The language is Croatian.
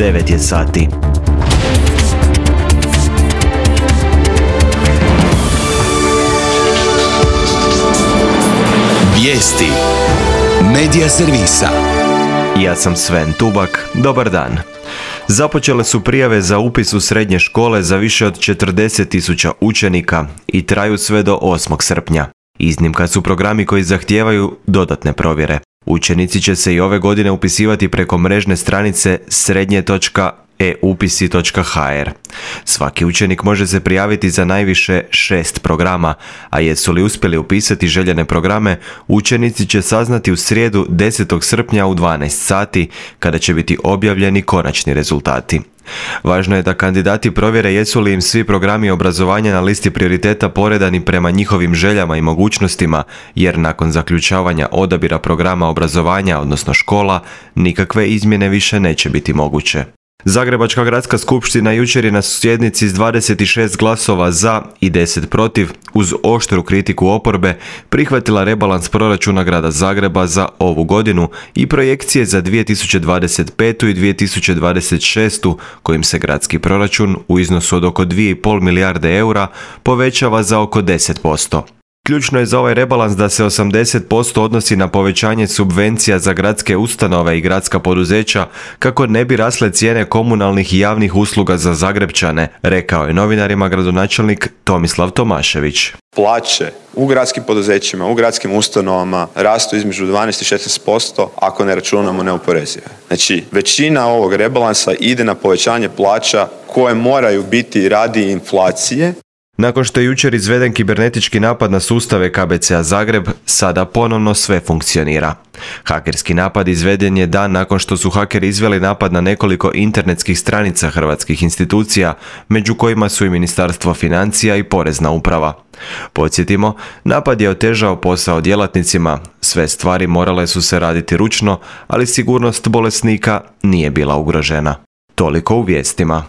9 je sati. Vijesti Medija servisa. Ja sam Sven Tubak, dobar dan. Započele su prijave za upis u srednje škole za više od 40.000 učenika i traju sve do 8. srpnja. Iznimka su programi koji zahtijevaju dodatne provjere. Učenici će se i ove godine upisivati preko mrežne stranice srednje.eupisi.hr. Svaki učenik može se prijaviti za najviše 6 programa, a jesu li uspjeli upisati željene programe, učenici će saznati u srijedu 10. srpnja u 12 sati, kada će biti objavljeni konačni rezultati. Važno je da kandidati provjere jesu li im svi programi obrazovanja na listi prioriteta poredani prema njihovim željama i mogućnostima, jer nakon zaključavanja odabira programa obrazovanja, odnosno škola, nikakve izmjene više neće biti moguće. Zagrebačka gradska skupština jučer je na sjednici s 26 glasova za i 10 protiv, uz oštru kritiku oporbe, prihvatila rebalans proračuna grada Zagreba za ovu godinu i projekcije za 2025. i 2026. kojim se gradski proračun u iznosu od oko 2,5 milijarde eura povećava za oko 10%. Ključno je za ovaj rebalans da se 80% odnosi na povećanje subvencija za gradske ustanove i gradska poduzeća kako ne bi rasle cijene komunalnih i javnih usluga za Zagrepčane, rekao je novinarima gradonačelnik Tomislav Tomašević. Plaće u gradskim poduzećima, u gradskim ustanovama rastu između 12 i 16% ako ne računamo neoporezive. Znači, većina ovog rebalansa ide na povećanje plaća koje moraju biti radi inflacije. Nakon što je jučer izveden kibernetički napad na sustave KBC-a Zagreb, sada ponovno sve funkcionira. Hakerski napad izveden je dan nakon što su hakeri izveli napad na nekoliko internetskih stranica hrvatskih institucija, među kojima su i Ministarstvo financija i Porezna uprava. Podsjetimo, napad je otežao posao djelatnicima, sve stvari morale su se raditi ručno, ali sigurnost bolesnika nije bila ugrožena. Toliko u vijestima.